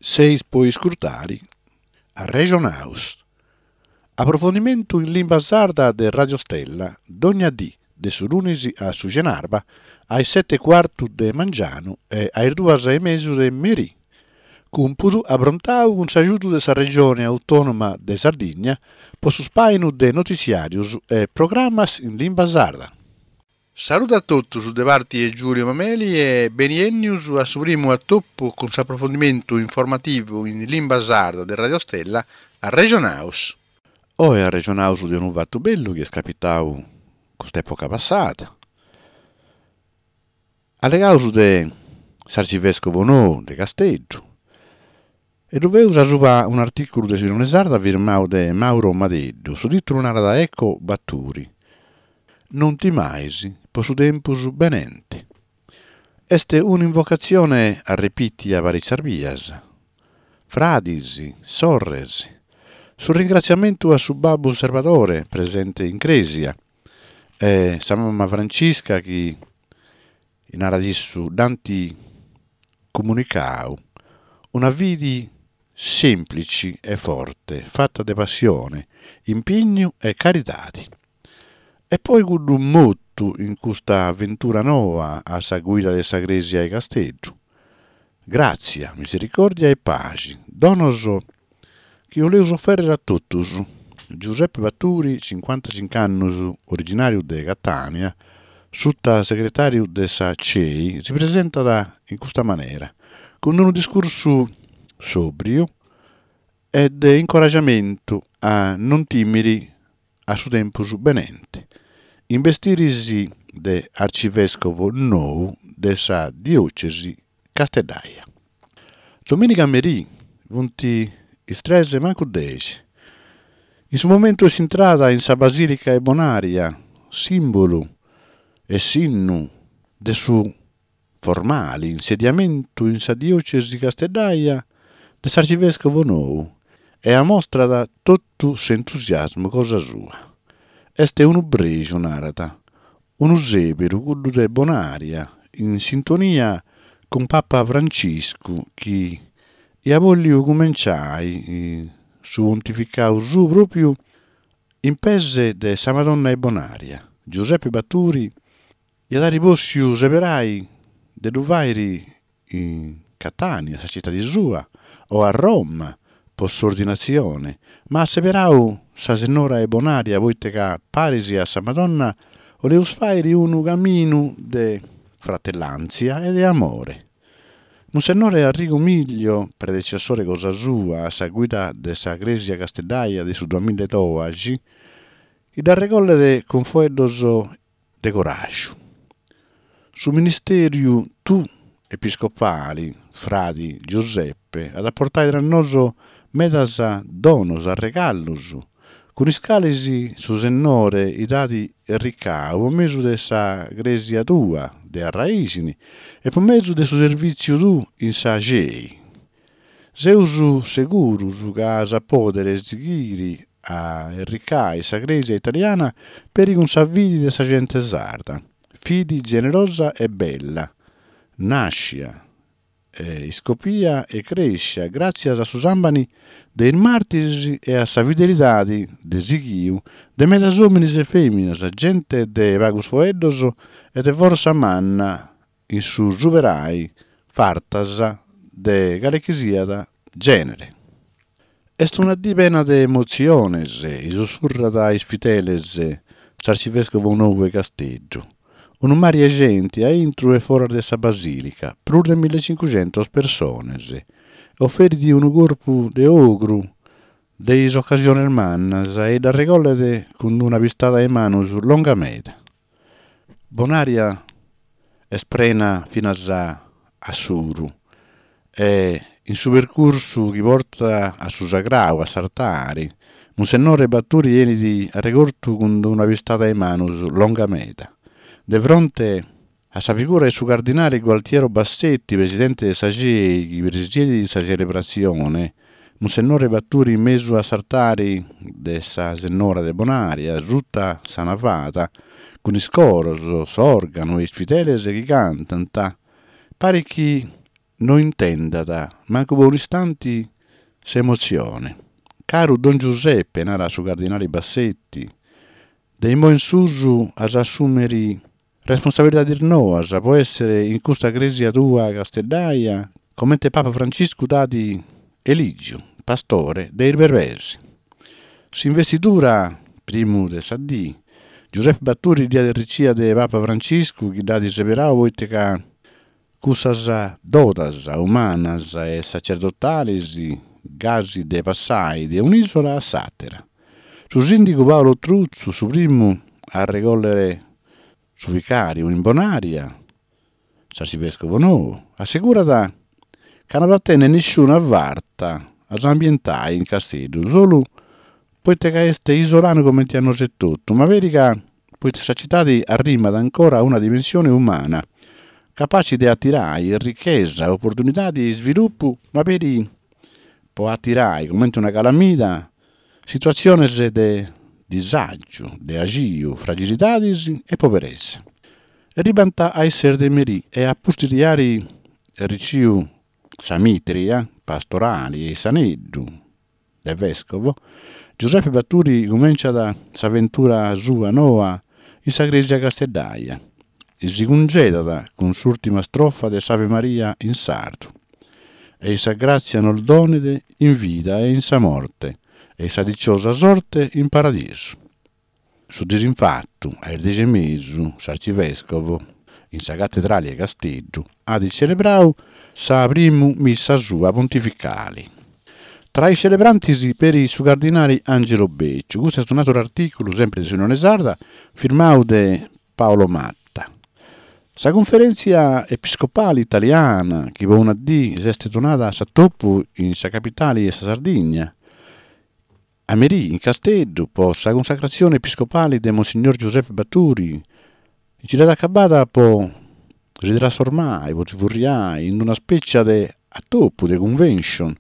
Seis po iscurtari Arrexonaus. Aprofondimentu in limba sarda de Radio Stella, dogna dì, de su lunis a su cenarba, a is seti e cuartu de mangianu e a is duas e mesu de merì. Cumpudu aprontau cun s'agiudu de sa Regione Autònoma de Sardigna po su spàinu de notitziàrius e programas in limba sarda. Saludu a totus de parti 'e Giulio Mameli e beniennius a su primu atopu cun s'aprofondimentu informativu in limba sarda de Radio Stella, Arrexonaus. Oe arrexonaus de unu fatu bellu chi est capitau cust'epoca passada. Allegaus de s'arcivescovu nou de Casteddu E ddu feus asuba un'artìculu de s'Unione Sarda firmau de Mauro Madeddu. Su tìtulu narat Ecco Baturi. Non timais po su tempus benente. Est un'invocatzione arrepìtia parìcias bias. Fradis, sorres. Su ringratziamentu a su babbu Serbadore presente in crèsia e sa mama Francisca chi narat issu, dd'ant comunicau una fidi sèmplici e forte, fata de passione, impignu e caridadi. E poi cuddu motu in custa aventura noa a sa guida de sa Crèsia 'e Casteddu. Gràtzia, misericòrdia e paxi, donos chi 'oleus ofèrrere a totus. Giuseppe Baturi, cincuantacinc'annus, originàriu de Catània, sutasegretàriu de sa CEI, si presentat in custa manera, cun unu discursu sòbriu e de incoragiamentu a non tìmiri a su tempus benente, in bestiris de arcivèscovu nou de sa diòcesi casteddaia. Domìniga merì funt is tres mancu dexi. In su momentu 'e s'intrada in sa Basìlica 'e Bonaria, sìmbulu e sinnu de su formali insediamentu in sa diòcesi casteddaia de s'arcivèscovu nou e amostrat totu s'entusiasmu cosa sua. Est unu prexu, narat, Unu sèberu, cuddu de Bonaria, in sintonia cun Papa Franciscu chi iat bòlliu cumenciai su pontificau suu pròpiu in pes de sa Madonna 'e Bonaria. Giuseppe Baturi iat àiri pòssiu seberai de ddu fàiri in Catània, sa citadi sua, o a Roma po s'ordinatzione, ma at seberau sa Sennora 'e Bonaria poite ca paris a sa Madonna 'oleus fàiri unu caminu de fratellàntzia e de amore. Munsennore Arrigo Miglio, predecessore cosa sua a sa guida de sa Crèsia Casteddaia de su duamilla e doaxi, dd'arregollet cun foeddos de coràgiu. Su ministèriu tuu episcopali, fradi Giuseppe, at a portai tra nosu medas donos, arregallus, cun is calis su Sennore t'at erricau po mesu de sa Crèsia tua de arraìxini e po mesu de su servìtziu tuu in sa CEI. Seus segurus ca as a pòdere sighiri a erricai sa Crèsia italiana peri cun sa fidi de sa gente sarda, fidi generosa e bella, nàscia, iscopia e crèscia gràtzias a su sàmbani de is màrtiris e a sa fidelidadi de sighiu de medas òminis e fèminas, gente de pagus foeddos e de fortza manna in su superai fartas de calechisiat gènere. Est una dì prena de emotziones, isussurrat a is fideles s'arcivèscovu nou 'e Casteddu. Unu mari 'e genti a intru e foras de sa basìlica, prus de millecincuxentos persones. Oferit unu corpu de ogru de is ocasiones mannas e dd'arregollet cun una pistada 'e manus longa meda. Bonaria est prena finas a s'oru e in su percursu chi portat a su sagrau, a s'artari, Munsennore Baturi 'enit arregortu cun una pistada 'e manus longa meda. De fronte a sa figura 'e su cardinale Gualtiero Bassetti, presidente de sa CEI chi presiedit sa celebratzione, Munsennore Baturi in mesu a s'artari de sa Sennora de Bonaria, suta sa navada, cun is coros, s'òrganu e is fideles chi cantant, parit chi. no intendat mancu po un'istanti s'emotzione. Caru Don Giuseppe, narat su cardinali Bassetti, de immoi in susu as a assùmiri responsabilidades noas po èssere in custa crèsia tua casteddaia comente Papa Franciscu t'at elìgiu pastore de is berbeis. S'investidura, primu de sa dì, Giuseppe Baturi dd'iat arricia de Papa Franciscu chi dd'at seberau poita ca Cussas dodas umanas e sacerdotales gasi de passai de un'ìsola a s'àtera. Su sìndigu Paolo Truzzu, su primu a arregòllere su vicàriu in Bonària, s'arcivèscovu nou, assegurat ca no at a tenni nisciuna farta a s'ambientai in Casteddu, solu poita ca est isolanu comenti a nosu etotu, ma peri ca poita sa citadi arrimat ancora una dimensione umana, capaci de atirai richesa, oportunidadi e isvilupu, ma peri po atirai, comente una calamida, situatziones de disàgiu, de axiu, fragilidadis e poberesa. Erribant a is ses de merì e a pustis de ari arriciu sa mitria pastorali e s'aneddu, de vèscovo, Giuseppe Baturi cumenciat s'aventura sua noa in sa crèsia casteddaia e si cungedat cun s'ùrtima strofa de s'Ave Maria in sardu, Ei sa gràtzia nos donet in vida e in sa morte, e sa diciosa sorte in paradisu. Su disinfatu, a is dexi e mesu, s'arcivèscovu, in sa catedrali 'e Casteddu, at celebrau sa primu missa sua pontificali. Tra is celebrantis peri su cardinali Angelo Becciu. Custu est un'àteru artìculu, sempri de s'Unione Sarda, firmau de Paolo Matta. Sa Cunferèntzia Episcopali Italiana, chi po una dì s'est donada a s'atopu in sa capitali 'e sa Sardigna, A merì, in Casteddu, po sa cunsacratzione episcopali de Monsignor Giuseppe Baturi, nci dd'at acabada po si trasformai, po si furriai in una spècia de atopu, de convention,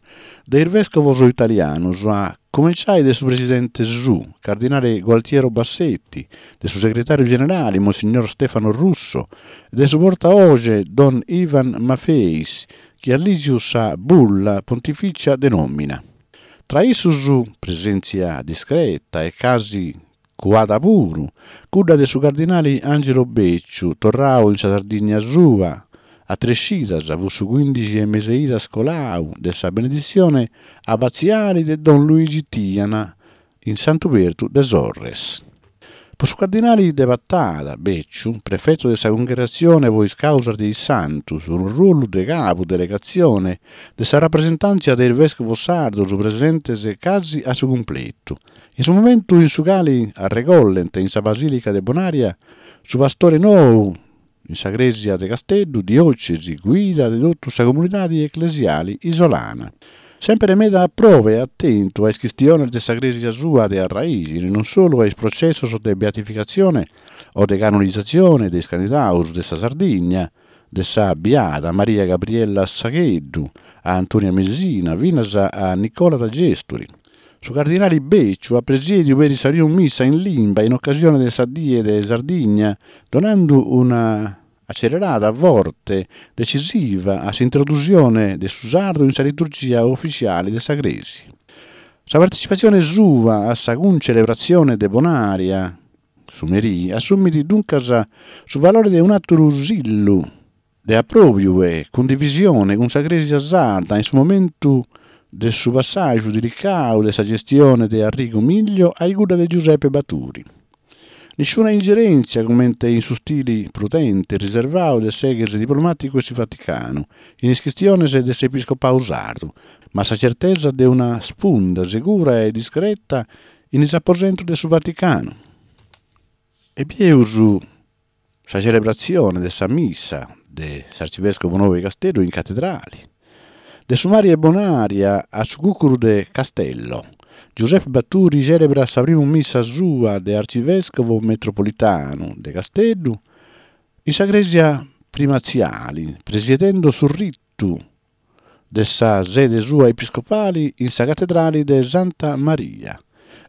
de is vèscovos italianus, a cumenciai de su presidente suu, cardinale Gualtiero Bassetti, de su segretàriu generali, Monsignor Stefano Russo, e de su portaoge Don Ivan Maffeis, chi at lìgiu sa bulla pontifìcia de nòmina. Tra issus, presèntzia discreta e casi cuada puru, cudda de su cardinali Angelo Becciu, torrau in sa Sardigna sua, a tres cidas, fut su cuindixi 'e mes'e idas colau, de sa beneditzione abatziali de Don Luigi Tiana in Santu Perdu de Sorres. Po su cardinali de Patada, Becciu, prefetu de sa Cungregatzione po is Càusas de is Santus, unu ruolu de cabu delegatzione de sa rapresentàntzia de is vèscovos sardos presentes casi a su cumpletu, in su momentu in su cali arregollent in sa Basìlica de Bonària su pastore nou in sa crèsia de Casteddu, diòcesi, guida de totu sa comunidadi eclesiali isolana. Sèmpere meda a probe e atentu a is chistiones de sa crèsia sua de arraìxini, non solu a is processos de beatificatzione o de canonizatzione de is candidaus de sa Sardigna, de sa biada Maria Gabriella Sagheddu a Antonia Mesina finas a Nicola da Gesturi. Su cardinali Becciu at presièdiu peri sa primu missa in limba in ocasione de sa Die de Sardigna, donandu una acelerada forte, decisiva a s'introdusione de su sardu in sa liturgia ufitziale de sa Crèsia. Sa partecipatzione sua a sa cuncelebratzione de Bonària su merì assumit duncas su valore de un'àteru sillu de apròbiu e cundivisione cun sa Crèsia sarda in su momentu de su passàgiu dilicau de sa gestione de Arrigo Miglio a cudda de Giuseppe Baturi. Nisciuna ingerèntzia comente in su stili prudente e riservau de s'ex diplomàticu 'e su Vaticanu in is chistiones de s'episcopau sardu, ma sa certesa de una spunda segura e discreta in is aposentos de su Vaticanu. E bieus Sa celebratzione de sa missa de s'arcivèscovu nou 'e Casteddu in catedrali. De su mari 'e Bonària a su cùcuru de Castello, Giuseppe Baturi cèlebrat sa primu missa sua de arcivèscovu metropolitanu de Casteddu in sa crèsia primatziali, presiedendo su ritu de sa sede sua episcopali in sa catedrali de Santa Maria.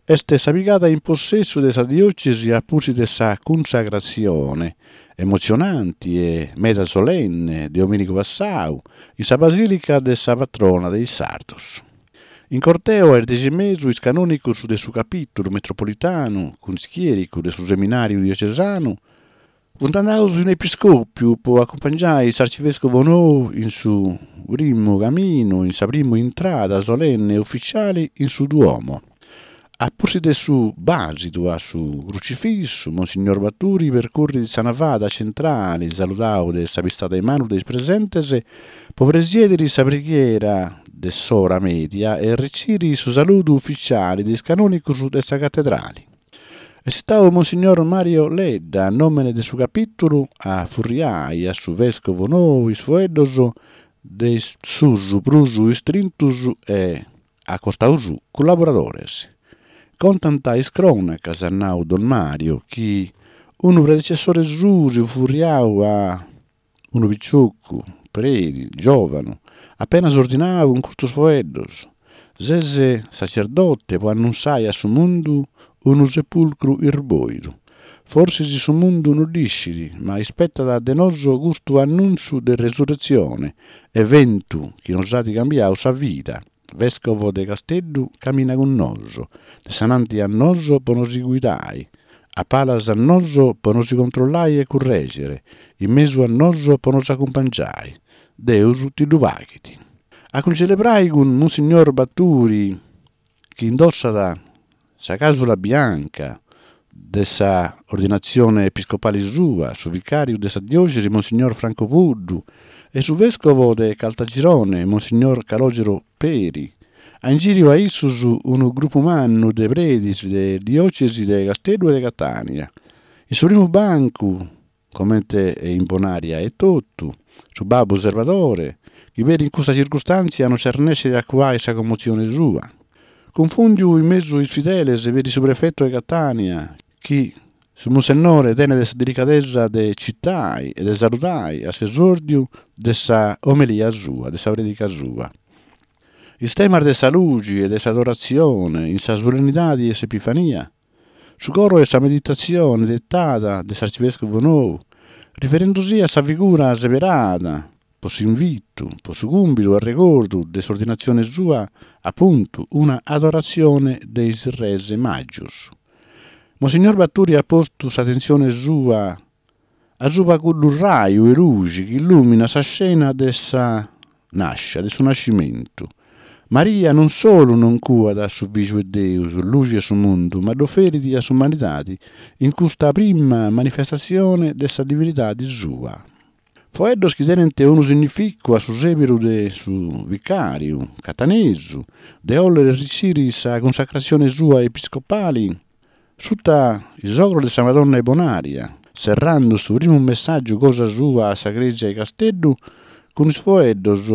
Est sa pigada in possessu de sa diòcesi a pustis de sa cunsagratzione. emotzionanti e meda solenne de omìnigu passau in sa Basìlica de sa Patrona de is Sardos. In corteu a is dexi e mesu is canònicos de su Capìtulu Metropolitanu cun is chièricos de su Seminàriu Diocesanu funt andaus in Episcòpiu po acumpangiai s'arcivèscovu nou in su primu caminu, in sa primu intrada solenne e ufitziali in su Duomo. A pustis de su bàsidu a su Crucifissu, Monsignor Baturi percurrit sa navada centrali, saludau de sa pistada 'e manu de is presentes, po presièdiri sa preghiera de s'ora media e arriciri su saludu ufitziali de is canònicos de sa catedrali. Est istau Monsignor Mario Ledda, a nòmene de su capìtulu, a furriai a su vèscovu nou is foeddos de is suus prus istrintus e A costau suu cullaboradores. Contant is crònacas, at nau Don Mario, chi unu predecessore suu si fut furriau a unu piciocu, predi, giòvanu, apenas ordinau cun custus foeddos, Ses sacerdote po annunsai a su mundu unu sepulcru isbòidu. Forsis su mundu no dd'iscit, ma ispetat de nosu custu annuntzu de resurretzione, eventu chi nos at cambiau sa vida. Vescovo de Casteddu camina cun nosu, de s'ananti a nosu po nos guidai, a palas a nosu po nos controllai e currègere, in mesu a nosu po nos acumpangiai. Deus ti ddu paghit. A cuncelebrai cun Monsignor Baturi, chi indossat sa càsula bianca de sa ordinatzione episcopale sua, su vicàriu de sa diòcesi Monsignor Franco Puddu e su vèscovo de Caltagirone Monsignor Calogero Peri. A ingìriu a issos unu grupu mannu de predis de diòcesi de Casteddu e de Catània. In su primu bancu comente e in Bonaria etotu, su babbu Servadore, chi peri in custa circustàntzia non s'arrennescit a cuai sa commotzione sua. Cunfùndiu in mesu is fideles peri su prefetu 'e Catània, chi su Munsennore tenet sa delicadesa de citai e de saludai a s'esòrdiu de sa omelia sua, de sa prèdica sua. Is temas de sa luxi e de s'adoratzione in sa solennidadi 'e s'Epifania Su coro 'e sa meditatzione detada de s'arcivèscovu nou, riferendusì a sa figura seberada po s'invitu, po su cumbidu arregordu de s'ordinatzione sua, apuntu, una adoratzione de is Res Màgios. Monsignor Baturi at postu s'atentzione sua asuba cuddu raju 'e luxi chi illùminat sa scena de sa nàscia, de su nascimentu. Maria non solu non cuat su Fìgiu 'e Deus, luxi 'e su mundu, ma dd'oferit a s'umanidadi in custa prima manifestatzione de sa divinidadi sua. Foeddos chi tenent unu significu a su sèberu de su vicàriu catanesu de 'òlere riciri sa cunsacratzione sua episcopali Suta is ogros de sa Madonna 'e Bonaria, serrando su primu messàgiu cosa sua a sa crèsia 'e Casteddu cun is foeddos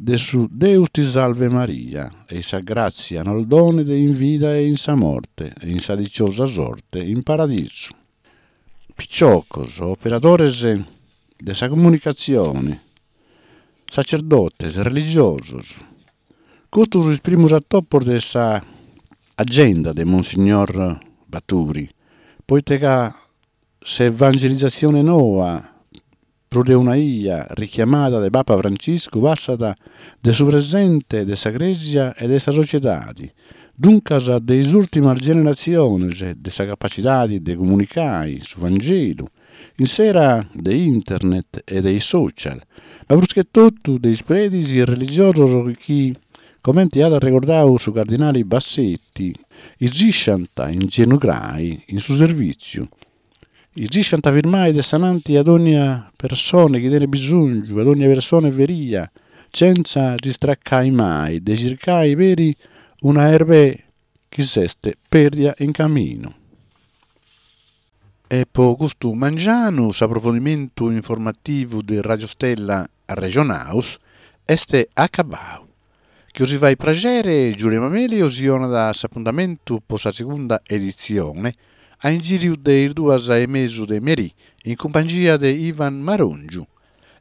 de su Deus ti salve Maria e sa gràtzia nos donet in vida e in sa morte e in sa diciosa sorte in paradisu. Piciocos, operadores de sa comunicatzione, sacerdotes, religiosos. Custos is primos atopos de sa agenda de Monsignor Baturi, poite ca s'evangelizatzione noa, prus de una 'ia richiamada de Papa Franciscu, passat de su presente de sa Crèsia e de sa sociedadi, duncas de is ùrtimas generatziones, de sa capacidadi de comunicai su Vangelu, In s'era de internet e de is social, ma prus che totu de is predis religiosos chi, comente at arregordau su cardinali Bassetti, isisciant ingenugrai in su servìtziu, isisciant firmai de s'ananti a dònnia persone chi tenit bisòngiu, a dònnia persone feria, chentza si stracai mai de circai peri una erbè chi s'est pèrdia in caminu. E po custu mangianu s'aprofondimentu informativu de Radio Stella Arrexonaus est acabau. Chi 'osi fait praxere Giulio Mameli 'osi 'onat s'apuntamentu po sa segunda editzione a ingìriu de is duas e mesu de merì in cumpangia de Ivan Marongiu.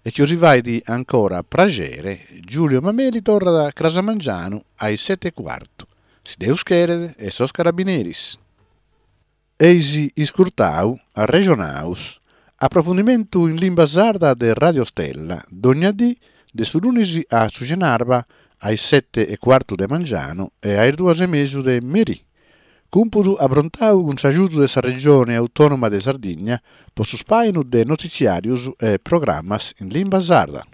E chi 'osi fait ancora praxere Giulio Mameli torrat cras a mangianu a is sete e cuartu, si Deus cheret e sos carabineris. Eis iscurtau Arrexonaus. Aprofundimentu in limba sarda de Radio Stella, dogna dì de su lunis a su cenarba a is sete e cuartu de mangianu e a is duas e mesu de merì. Cumpudu aprontau cun s'agiudu de sa Regione Autònoma de Sardigna po su spàinu de notitziàrius e programas in limba sarda.